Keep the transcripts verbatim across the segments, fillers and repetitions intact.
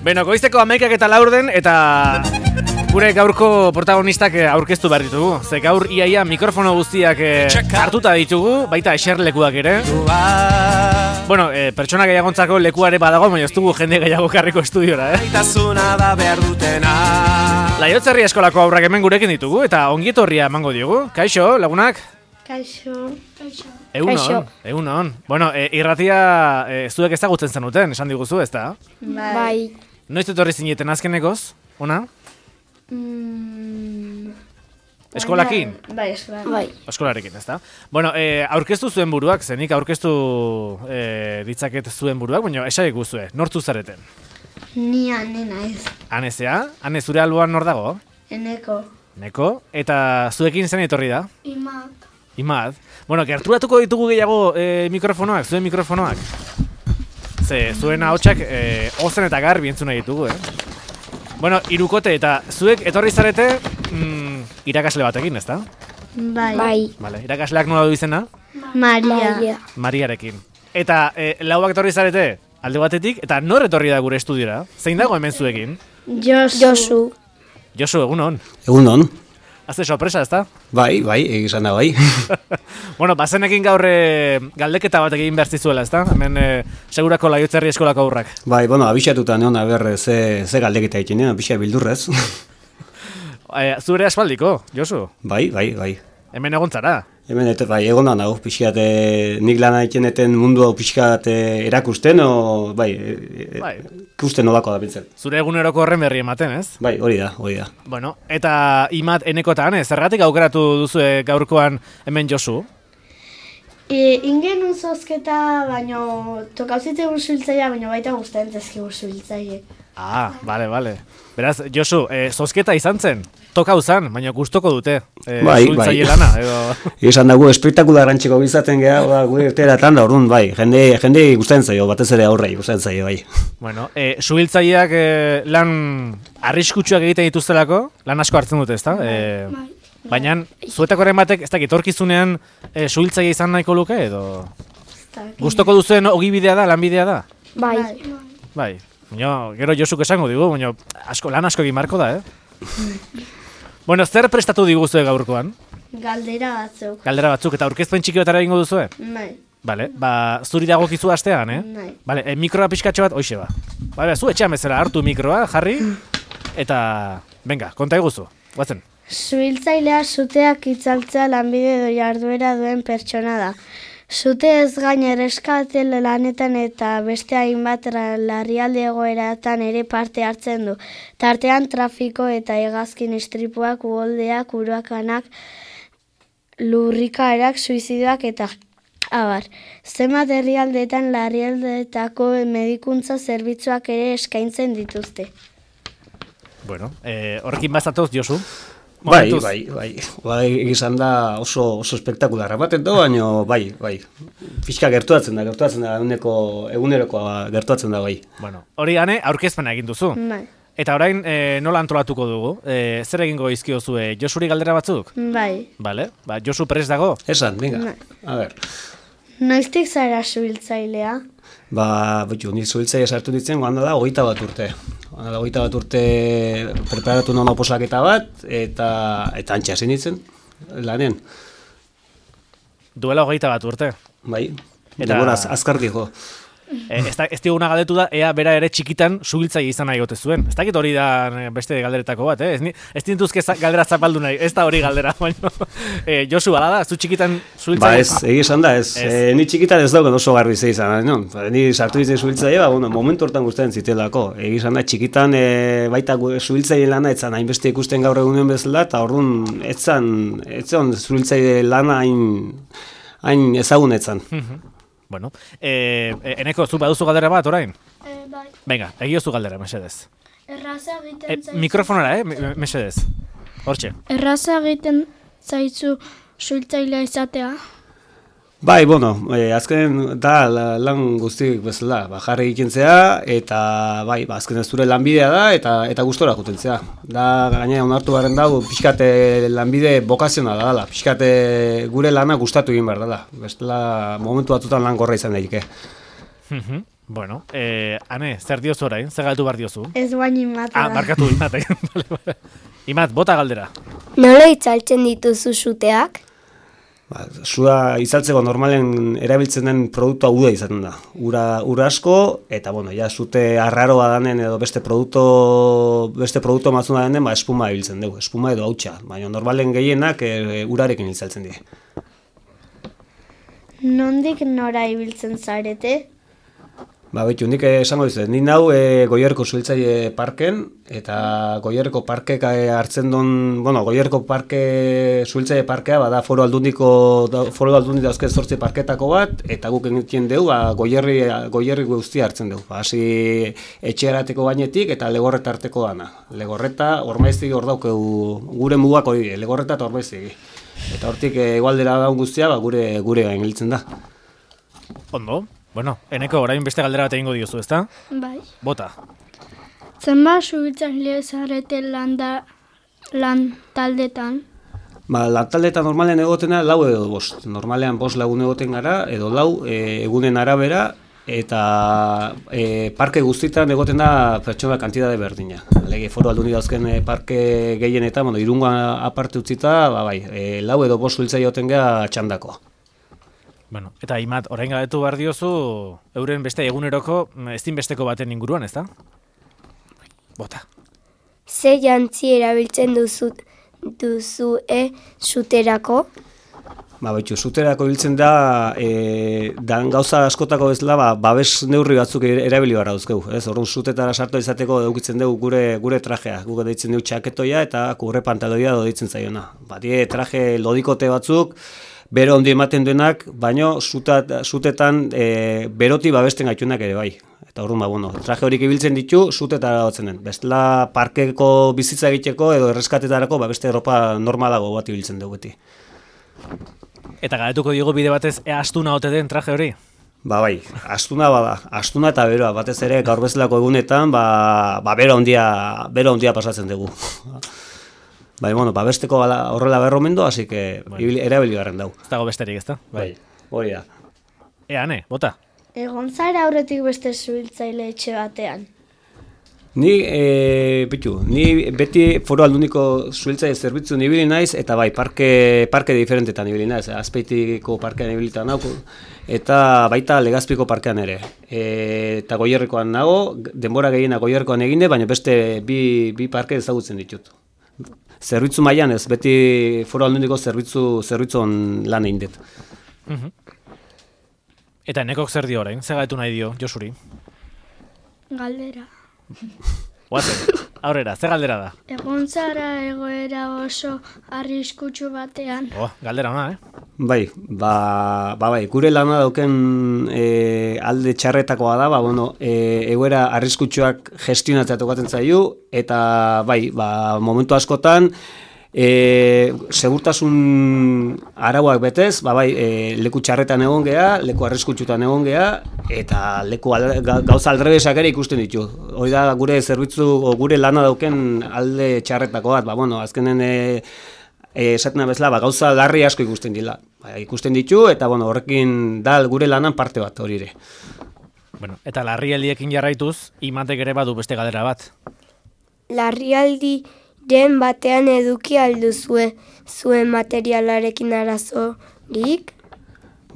Beno, goizteko hamaikak eta laurden, eta gure gaurko protagonistak aurkeztu behar ditugu. Ze gaur iaia mikrofono guztiak hartuta ditugu, baita eserlekuak ere. Bueno, eh, pertsona gehiagontzako lekuare badago, baina ez dugu jende gehiago karriko estudiora, eh? Laiotzerri eskolako aurrak hemen gurekin ditugu, eta ongietorria emango diogu. Kaixo, lagunak? Kaixo. Kaixo. Egunon, egunon. Bueno, e, irratia e, zuek ezagutzen zenuten, esan diguzu, ez da? Bai. Noiz etorri zineten azkenekoz, ona? Mm, Eskolakin? Bai, eskolakin. Bai. Eskolarekin, ez da? Bueno, e, aurkeztu zuen buruak, zenik aurkeztu e, ditzaket zuen buruak, baina esaik guzue, nortzu zareten? Ni ane naiz. Ane zea? Ane zure alboan nor dago? Eneko. Neko? Eta zuekin zen etorri da? Imak. Imad. Bueno, gerturatuko ditugu gehiago e, mikrofonoak, zuen mikrofonoak. Ze, zuen ahotsak e, ozen eta garbi entzuna ditugu, eh? Bueno, irukote eta zuek etorri zarete mm, irakasle batekin, ezta? Bai. Bai. Vale, irakasleak nola du izena? Maria. Maria. Mariarekin. Eta e, lauak etorri zarete alde batetik, eta nor etorri da gure estudiora? Zein dago hemen zuekin? Josu. Josu. Josu, egunon. Egunon. Azte sorpresa, ezta? Bai, bai, egizan da bai. Bueno, bazenekin gaur e, galdeketa bat egin behar zizuela, ezta? Hemen e, segurako Laiotzerri eskolako aurrak. Bai, bueno, abixatuta neon aber ze, ze galdeketa egiten, abixa bildurrez. e, zure aspaldiko, Josu? Bai, bai, bai. Hemen egontzara. Hemen, eta bai, egon da nago, pixkat, e, nik lan egiten mundu hau pixkat e, erakusten, o, bai, e, Bai. ikusten nolako da bintzen. Zure eguneroko horren berri ematen, ez? Bai, hori da, hori da. Bueno, eta Imat enekotan, ez? Zergatik aukeratu duzue gaurkoan hemen Josu? E, ingen unzozketa, baino tokauzite ursuiltzaia, baino baita guztien zezki ursuiltzaie. Ah, bale, bale. Beraz, Josu, e, zozketa izan zen? Toka uzan, baina gustoko dute. E, Bai, suiltzaile bai. lana, edo... Izan dago, espektakularantxeko bizaten geha, ba, gure irteeratan da, orduan, bai, jende, jende gustatzen zaio, batez ere aurrei gustatzen zaio, bai. Bueno, e, suhiltzaileak e, lan arriskutsuak egiten dituztelako, lan asko hartzen dute, ezta? E, baina, zuetakoren batek, ez dakit, etorkizunean e, suhiltzaile izan nahiko luke, edo... Gustoko duzuen ogibidea da, lanbidea da? Bai. Bai. Baina, gero Josuk esango digu, baina asko, lan asko egin marko da, eh? Bueno, zer prestatu diguzue gaurkoan? Galdera batzuk. Galdera batzuk, eta aurkezpen txiki batara egingo duzue? Bai. Bale, ba, zuri dagokizu astean, eh? Bai. Bale, e, mikroa pixkatxo bat, hoxe ba. Bale, zu etxean bezala hartu mikroa, jarri, eta, venga, konta eguzu, guazen. Suhiltzailea suteak itzaltzea lanbide edo jarduera duen pertsona da. Sute ez gain erreskate lanetan eta beste hainbat larrialdi egoeratan ere parte hartzen du. Tartean trafiko eta hegazkin istripuak, uholdeak, urakanak, lurrikaerak, suizidoak eta abar. Zenbat herrialdeetan larrialdeetako medikuntza zerbitzuak ere eskaintzen dituzte. Bueno, eh, horrekin bazatoz, Josu? Bai, Momentuz. bai, bai, bai, egizan da oso, oso espektakularra baten da, baina bai, bai, pixka gertuatzen da, gertuatzen da, eguneko, egunerokoa gertuatzen da, bai. Bueno, hori gane, aurkezpena egin duzu. Bai. Eta orain, e, nola antolatuko dugu? E, zer egingo izkiozue, Josuri galdera batzuk? Bai. Bale, ba, Josu prest dago? Esan, venga, Bai. a ber. Noiztik zara suhiltzailea? Ba, betxu, nik zuhiltzaia sartu ditzen, goanda da, hogeita bat urte. Goanda da, hogeita bat urte preparatu non oposaketa bat, eta, eta antxa zen ditzen, lanen. Duela hogeita bat urte. Bai, Eta- eta az, azkar dijo. E, ez, da, ez diguna galdetu da, ea bera ere txikitan suhiltzaile izan nahi gote zuen. Ez dakit hori da eh, beste galderetako bat, eh? Ez, ni- ez dintuzke za- galdera zapaldu nahi, ez da hori galdera, baina. E, Josu, bala da, zu txikitan Ba, suhiltzaile... ez, egi esan da, ez, Ez. E, ni txikitan ez dauken oso garbi ze izan, no? Ba, ni sartu ditzen zuhiltzaile, ba, bueno, momentu hortan gustatzen zitelako. Egi esan da, txikitan e, baita zuhiltzaile lana etzan hainbeste ikusten gaur egunen bezala, eta orduan etzan, etzan zuhiltzaile lana hain, hain ezagun etzan. Bueno, e, e, eneko, zu baduzu galdera bat, orain? E, bai, Venga, egiozu galdera, mesedez. erraza E, egiten zaizu. mikrofonara, eh, me- mesedez. Hortxe. Erraza egiten zaizu suhiltzailea izatea. Bai, bueno, e, azken da la- lan guztiek bezala, ba, jarri egikentzea, eta bai, ba, azken ez zure lanbidea da, eta eta gustora jutentzea. Da, gainera onartu garen dago, pixkate lanbide bokazionala dela, pixkate gure lana gustatu egin behar dela. Bestela, momentu batzutan lan gorra izan daike. Mhm. Bueno, eh, Ane, zer diozu orain? Zer galtu behar diozu? Ez guain imata Ah, da. markatu Imat. Imat, bota galdera. Nola itzaltzen dituzu suteak? Ba, sua izaltzeko normalen erabiltzen den produktua uda izaten da. Ura, ura asko, eta bueno, ja, zute arraroa danen edo beste produkto, beste produkto matzuna denen, ba, espuma ibiltzen dugu, espuma edo hautsa. Baina normalen gehienak e, urarekin izaltzen die. Nondik nora ibiltzen zarete? Ba, betu, nik esango dizuet, nik nau e, Goierriko Zuhiltzaile Parken, eta Goierriko Parkek e, hartzen duen, bueno, Goierriko Parke, Zuhiltzaile Parkea, bada foro aldundiko, da, foro aldundi dauzke zortzi parketako bat, eta guk egiten dugu, ba, Goierri, Goierri guztia hartzen dugu. Ba, hasi etxearateko gainetik eta Legorreta arteko dana. Legorreta, Ormaiztegi hor daukegu, gure mugak hori, Legorreta eta Ormaiztegi. Eta hortik e, igualdera daun guztia, ba, gure, gure gain giltzen da. Ondo? Bueno, Eneko, orain beste galdera bat egingo diozu, ezta? Bai. Bota. Zenbat suhiltzaile zarete lan, da, lan taldetan? Ba, lantaldetan normalean egotena lau edo bost. Normalean bost lagun egoten gara, edo lau e, egunen arabera, eta e, parke guztietan egoten da pertsona kantitate berdina. Lege foro aldundi dauzken e, parke gehienetan, bueno, Irungoa aparte utzita, ba, bai, e, lau edo bost suhiltzaile egoten gara txandako. Bueno, eta Imat, orain galdetu behar diozu, euren beste eguneroko ezinbesteko baten inguruan, ezta? Bota. Ze jantzi erabiltzen duzu, duzu e suterako? Ba, betxu, zuterako biltzen da, e, dan gauza askotako bezala, ba, babes neurri batzuk erabili barra duzkegu. Ez, orduan zutetara sartu izateko edukitzen dugu gure, gure trajea. Guk deitzen dugu txaketoia eta kurre pantaloia deitzen zaiona. Ba, die traje lodikote batzuk, bero ondi ematen duenak, baino zutat, zutetan e, beroti babesten gaituenak ere bai. Eta orduan, ba, bueno, traje horik ibiltzen ditu, zutetara gotzen den. Bestela parkeko bizitza egiteko edo erreskatetarako ba, beste Europa normalago bat ibiltzen dugu beti. Eta galdetuko diogu bide batez, ea astuna ote den traje hori? Ba bai, astuna bada, astuna eta beroa, batez ere gaur bezalako egunetan, ba, ba bero handia, bero handia pasatzen dugu. Bai, bueno, ba besteko horrela berromendo, así que bueno, erabili garren dau. Ez dago besterik, ezta? Bai, hori da. Ea, Ane, bota. Egon zara aurretik beste suhiltzaile etxe batean? Ni, e, bitu, ni beti foro alduniko zuhiltzaile zerbitzu nibili naiz, eta bai, parke, parke diferentetan nibili naiz, Azpeitiko parkean nibilitan nago, eta baita Legazpiko parkean ere. E, eta Goierrikoan nago, denbora gehiena Goierrikoan egine, baina beste bi, bi parke ezagutzen ditut. Zerbitzu mailan ez, beti foro alduniko zerbitzu, zerbitzun lan egin dut. Uh-huh. Eta Enekok zer dio orain, zer gaitu nahi dio, Josuri? Galdera. Guazen, aurrera, zer galdera da? Egon zara egoera oso arriskutsu batean. Oh, galdera ona, eh? Bai, ba, ba bai, gure lana dauken e, alde txarretakoa da, ba, bueno, e, egoera arriskutsuak gestionatzea tokatzen zaio, eta bai, ba, momentu askotan, E, segurtasun arauak betez, ba bai, e, leku txarretan egon gea, leku arriskutsutan egon gea, eta leku al, ga, gauza aldrebesak ere ikusten ditu. Hori da gure zerbitzu, gure lana dauken alde txarretako bat, ba bueno, azkenen e, e, esatena bezala, ba, gauza larri asko ikusten dila. Ba, ikusten ditu, eta bueno, horrekin da gure lanan parte bat hori ere. Bueno, eta larrialdiekin jarraituz, Imatek ere badu beste galdera bat. Larrialdi den batean eduki alduzue zuen materialarekin arazorik?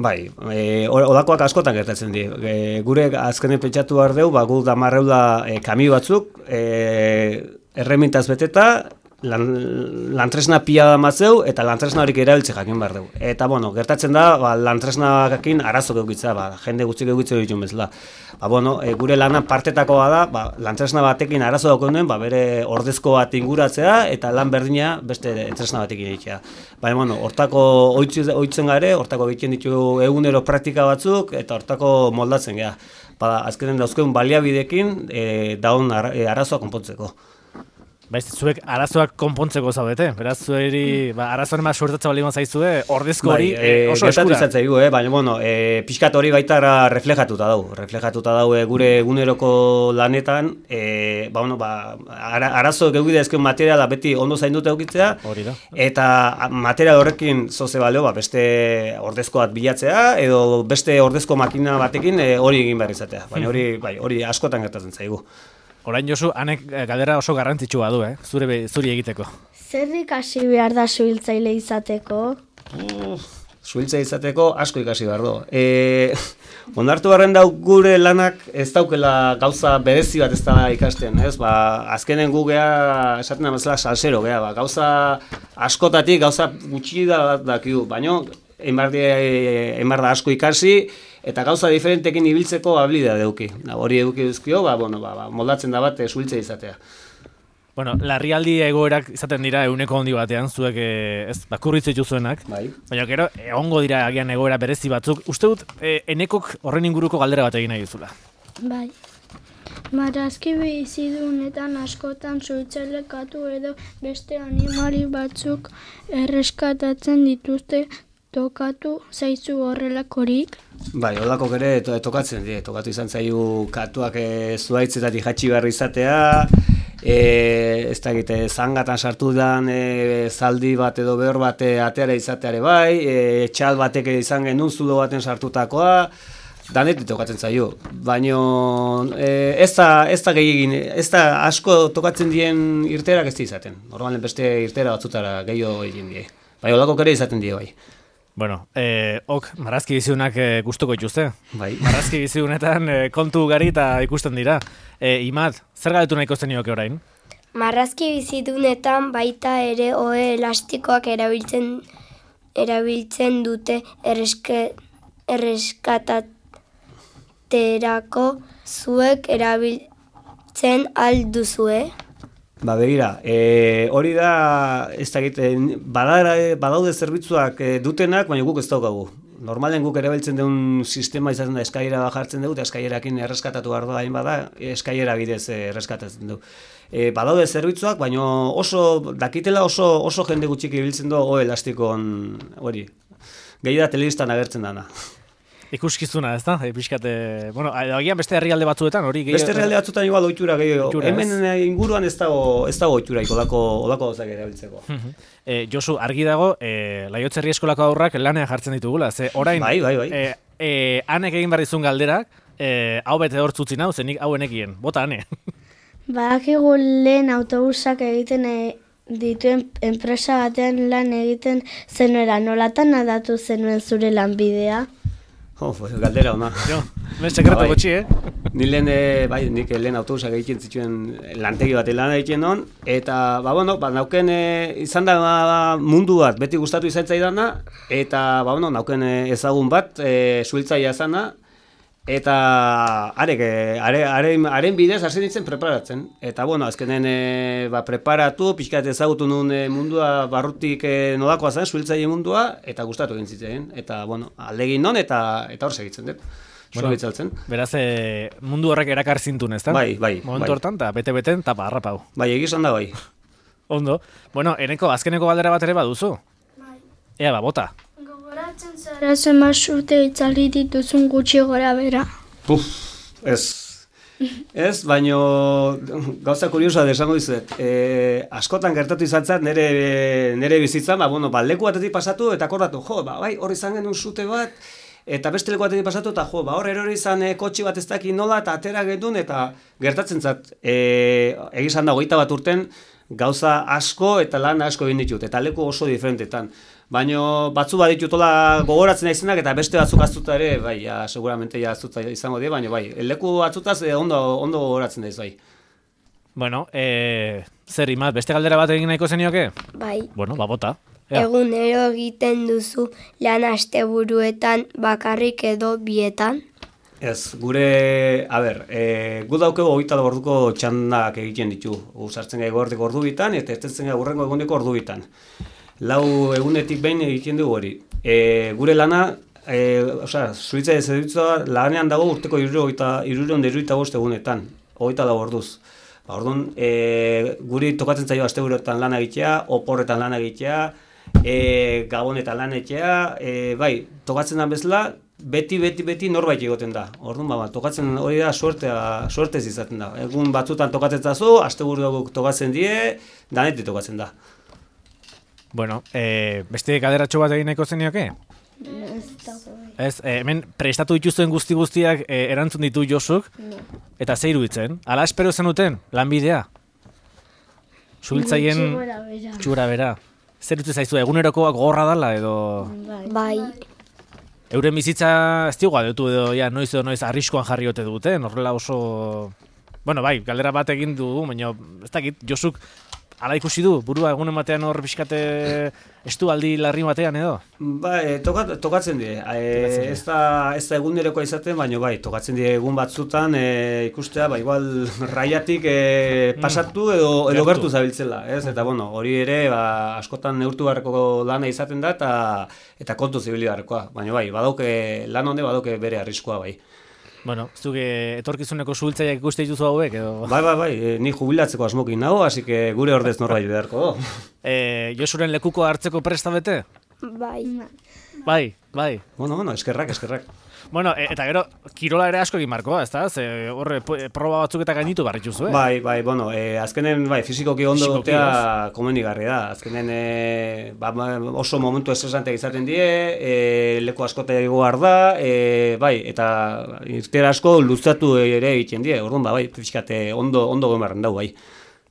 Bai, e, odakoak askotan gertatzen di. E, gure azkenen pentsatu behar dugu, ba, gu damarreula e, kami batzuk, e, erremintaz beteta, lan, lantresna pila da matzeu, eta lantresna horik erabiltze jakin behar dugu. Eta, bueno, gertatzen da, ba, lantresnakin arazo geukitza, ba, jende gutxik eukitza dituen bezala. Ba, bueno, e, gure lanan partetakoa da, ba, lantresna batekin arazo daukon duen, ba, bere ordezko bat inguratzea, eta lan berdina beste tresna batekin egitea. Baina, bueno, hortako ohitzen gare, hortako egiten ditu egunero praktika batzuk, eta hortako moldatzen gea. Ba, azkenen dauzkeun baliabidekin, e, daun ar, e, arazoa konpontzeko. Baiz, zuek arazoak konpontzeko zaudete, beraz, zueri, ba, arazoan ema suertatzen bali zaizue, ordezko hori bai, e, oso eskura. Gertatu zaigu, eh? Baina, bueno, e, pixkat hori baita reflejatuta dau. Reflejatuta dau e, gure eguneroko lanetan, e, ba, bueno, ba, ara, arazo geugide ezken materiala beti ondo zainduta eukitzea, hori da. Eta material horrekin zoze baleo, ba, beste ordezko bat bilatzea, edo beste ordezko makina batekin e, hori egin behar izatea. Baina hori, bai, hori askotan gertatzen zaigu. Orain Josu, hanek galdera oso garrantzitsua du, eh? Zure be, zuri egiteko. Zer ikasi behar da suhiltzaile izateko? Uh, Suhiltzaile izateko asko ikasi behar du. E, onartu barren dau gure lanak ez daukela gauza berezi bat ez da ikasten, ez? Ba, azkenen gu geha, esaten da bezala salsero geha, ba, gauza askotatik, gauza gutxi da dakigu, baino, enbar da asko ikasi, eta gauza diferentekin ibiltzeko habilidade eduki. Hori eduki duzkio, ba, bueno, ba, moldatzen da bat suhiltzaile izatea. Bueno, larrialdi egoerak izaten dira euneko handi batean, zuek ez bakurritz dituzuenak. Bai. Baina gero, egongo dira agian egoera berezi batzuk. Uste dut, e, enekok horren inguruko galdera bat egin nahi duzula. Bai. Marrazki bizidunetan askotan suhiltzailekatu edo beste animali batzuk erreskatatzen dituzte. Tokatu zaizu horrelakorik? Bai, holako ere to, tokatzen die, tokatu izan zaiu katuak e, zuaitzetatik jatxi behar izatea, e, ez da egite, zangatan sartu dan e, zaldi bat edo behor bat ateara izateare bai, e, txal batek izan genuen zulo baten sartutakoa, danetik tokatzen zaio, baina e, ez da, ez da gehiagin, ez da asko tokatzen dien irterak ez da izaten, normalen beste irtera batzutara gehiago egin die, bai, holako ere izaten die bai. Bueno, eh, ok, marrazki bizidunak eh, gustuko dituzte. Bai. Marrazki bizidunetan eh, kontu ugari eta ikusten dira. Eh, Imad, zer galdetu nahiko zenioke orain? Marrazki bizidunetan baita ere ohe elastikoak erabiltzen erabiltzen dute erreske, erreskataterako zuek erabiltzen alduzue? Ba, begira, e, hori da, ez da egiten, badaude zerbitzuak e, dutenak, baina guk ez daukagu. Normalen guk erabiltzen duen sistema izaten da eskailera jartzen dugu, eta eskailerakin erreskatatu behar da, hain bada, eskailera bidez erreskatatzen dugu. E, badaude zerbitzuak, baina oso, dakitela oso, oso jende gutxik ibiltzen du ohe elastikon hori. Gehi da telebistan agertzen dana. Ikuskizuna, ez da? E, pixkate, bueno, agian beste herrialde batzuetan hori gehiago. Beste herrialde batzuetan igual ohitura gehiago. Hemen inguruan ez dago ez dago ohituraik olako olako gauzak erabiltzeko. e, Josu, argi dago, e, Laiotze Herri Eskolako haurrak lanean jartzen ditugula, ze orain bai, bai, bai. E, e, anek egin behar dizun galderak, e, hau bete hor zutzin hau, zenik hau enekien, bota ane. Badakigu lehen autobusak egiten e, dituen enpresa batean lan egiten zenuera, nolatan adatu zenuen zure lanbidea? Oh, pues, galdera ona. Jo, ben sekreto bai. gutxi, eh? Ni lehen, e, bai, nik lehen autobusak egiten zituen lantegi bat lan egiten non, eta, ba, bueno, ba, nauken e, izan da ba, mundu bat, beti gustatu izan zaidana, eta, ba, bueno, nauken e, ezagun bat, e, suhiltzailea zana, eta arek, are, are, haren bidez hasi nintzen preparatzen. Eta, bueno, azkenen e, ba, preparatu, pixkat ezagutu nuen e, mundua barrutik e, nolakoa zen, suhiltzaile mundua, eta gustatu egin zitzen. Eta, bueno, aldegin non, eta eta hor segitzen dut. Bueno, beraz, e, mundu horrek erakar zintun, ez da? Bai, bai. Momentu bai. hortan, eta bete-beten, eta harrapau. Bai, egizan da, bai. Ondo. Bueno, eneko, azkeneko galdera bat ere baduzu? Bai. Ea, ba, bota. Gogoratzen zara zenbat urte itzali dituzun gutxi gora bera. Uf, ez. Ez, baino gauza kuriosa desango dizuet. E, askotan gertatu izan zat nere, nere bizitzan, ba, bueno, ba, leku batetik pasatu eta akordatu, jo, ba, bai, hor izan genuen sute bat, eta beste leku batetik pasatu, eta jo, ba, hor erori izan e, kotxe bat ez dakit nola, eta atera genuen, eta gertatzen zat, e, egizan da, hogeita bat urten, gauza asko eta lan asko egin ditut, eta leku oso diferentetan. Baina batzu baditutola gogoratzen naizenak eta beste batzuk aztuta ere, bai, ja, seguramente ja aztuta izango die, baina bai, leku batzutaz eh, ondo, ondo gogoratzen daiz, bai. Bueno, e, zer, Imad, beste galdera bat egin nahiko zenioke? Bai. Bueno, ba, bota. Ea. Egunero egiten duzu lan asteburuetan bakarrik edo bietan? Ez, gure, a ber, e, gu daukego hogeita orduko txandak egiten ditu. Usartzen gai gordeko ordu bitan, eta ez gai urrengo eguneko ordu bitan. Lau egunetik behin egiten dugu hori. E, gure lana, e, osea, suhiltzaile zerbitzua lanean dago urteko hirurogeita bost egunetan, hogeita lau orduz. Ba, orduan, e, guri tokatzen zaio asteburuetan lan egitea, oporretan lan egitea, e, gabonetan lan egitea, e, bai, tokatzen da bezala, beti, beti, beti norbait egoten da. Orduan, ba, tokatzen hori da, suertea, suertez izaten da. Egun batzutan tokatzen zazu, asteburuak tokatzen die, danetik tokatzen da. Bueno, e, beste galderatxo bat egin nahiko zenioke? Ez, e, hemen prestatu dituzuen guzti guztiak e, erantzun ditu Josuk, No. eta ze iruditzen? Ala espero zenuten, lanbidea? Suhiltzaien Gutxi gora bera. txura bera. Zer dut zaizu, egunerokoak gogorra dala edo... Bai. Bai, Euren bizitza ez digu galdetu edo, ja, noiz edo noiz arriskoan jarri ote duten, horrela oso... Bueno, bai, galdera bat egin dugu, baina ez dakit, Josuk ala ikusi du, burua egunen batean hor pixkate estualdi larri batean edo? Ba, e, tokat, tokatzen die. E, ez da, ez da egunerokoa izaten, baina bai, tokatzen die egun batzutan e, ikustea, ba, igual raiatik e, pasatu edo, edo Gertu. gertu zabiltzela, ez? Eta, bueno, hori ere, ba, askotan neurtu beharreko lana izaten da, eta, eta kontu zibili beharrekoa. Baina bai, badauke, lan honde badauke bere arriskoa, bai. Bueno, zuke etorkizuneko suhiltzaileak ikuste dituzu hauek edo... Bai, bai, bai, e, ni jubilatzeko asmokin nago, hasi que gure ordez norbait beharko. E, Josuren lekuko hartzeko presta bete? bai. Bai, bai. Bueno, bueno, eskerrak, eskerrak. Bueno, e, eta gero, kirola ere asko egin markoa, ez da? Ze horre po- proba batzuk eta gainitu barrituzu, eh? Bai, bai, bueno, e, azkenen bai, fizikoki ondo Fisikoki, gotea komenigarri da. Azkenen e, ba, ba, oso momentu estresanteak izaten die, e, leku askota egoar da, e, bai, eta irtera asko luzatu ere egiten die. Orduan, ba, bai, pixkate ondo ondo gomarren dau, bai.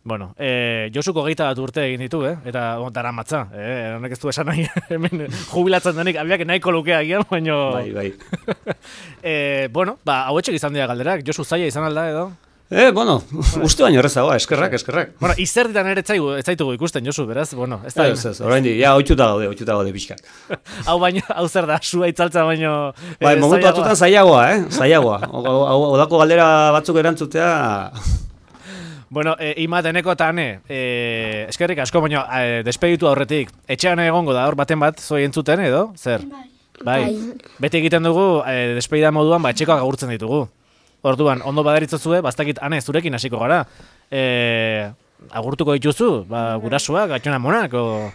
Bueno, e, Josuko geita bat urte egin ditu, eh? Eta on, dara matza, eh? Honek ez du esan nahi, hemen jubilatzen denik, abiak nahiko lukea gian, baina... Bai, bai. e, bueno, ba, hauetxek izan dira galderak, Josu zaila izan alda edo? Eh, bueno, uste baino errezagoa, eskerrak, eskerrak. Bueno, izerditan ere ez zaigu- ez zaitugu ikusten, Josu, beraz, bueno, ez da... Ez, ez, oraindik, ja, ohituta gaude, ohituta gaude pixkat. hau baino, hau zer da, sua itzaltza baino... Bai, eh, momentu zailagoa. batzutan zailagoa, eh? Zailagoa. Odako galdera batzuk erantzutea... Bueno, e, Imat, eneko eta ane, e, eskerrik asko, baina e, despeditu aurretik, etxean egongo da, hor baten bat, zoi entzuten edo, zer? Bai. Bai, beti egiten dugu, e, despedida moduan, ba, etxekoak agurtzen ditugu. Orduan, ondo baderitzozue, bastakit, ane, zurekin hasiko gara. E, agurtuko dituzu, ba, gurasuak, gatxona monak, o...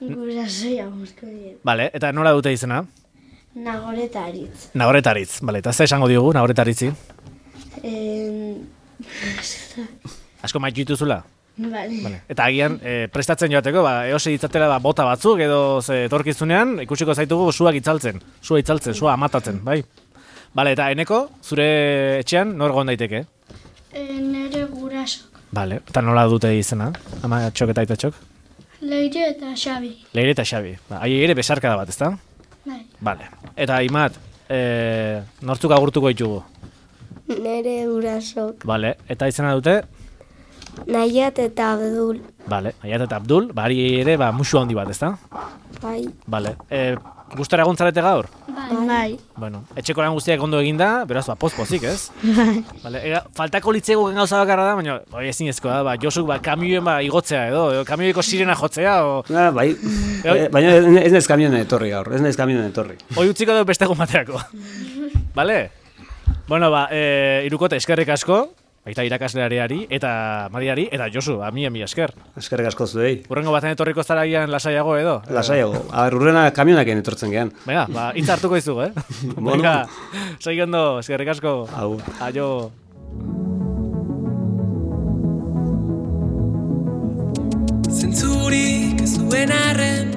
Gurasoia guzko diet. Vale, eta nola dute izena? Nagoretaritz. Nagoretaritz, vale, eta ze esango diogu, nagoretaritzi? En... Asko maitu dituzula? Vale. Vale. Eta agian, e, prestatzen joateko, ba, eose ditzatela ba, bota batzuk, edo ze etorkizunean, ikusiko zaitugu suak itzaltzen, sua itzaltzen, sua amatatzen, bai? Bale, eta eneko, zure etxean, nor egon daiteke? E, nere gurasok. Bale, eta nola dute izena, ama txok eta aita txok? Leire eta Xabi. Leire eta Xabi, ba, hai ere besarkada bat, ezta? Bai. Bale, eta Imat, e, nortzuk agurtuko ditugu? Nere gurasok. Bale, eta izena dute? Nahiat eta Abdul. Bale, Aiat eta Abdul, bari ere, ba, musu handi bat, ezta? Bai. Bale, e, gustora egontzarete gaur? Bai. Bai. Bueno, etxeko lan guztiak ondo eginda, beraz, ba, poz-pozik, ez? Vale, ega, faltako litzego gauza bakarra da, baina bai, ezinezkoa da, ba, Josuk ba, kamioen ba, igotzea edo, edo kamioiko sirena jotzea, o... Ah, bai, eh, baina ez naiz kamionen etorri gaur, ez naiz kamionen etorri. Oi utziko dut beste egun baterako. Bale? Bueno, ba, e, irukote eskerrik asko, baita irakasleari eta Mariari, eta Josu, a mi, a mi esker. Eskerrik asko zuei. Urrengo baten etorriko zara gian lasaiago edo? Lasaiago. A ber, urrena kamionaken etortzen gean. Venga, ba, hitz hartuko izugu, eh? Bueno. Venga, segi ondo, eskerrik asko. Hau. Aio. Zentzurik ez duen arren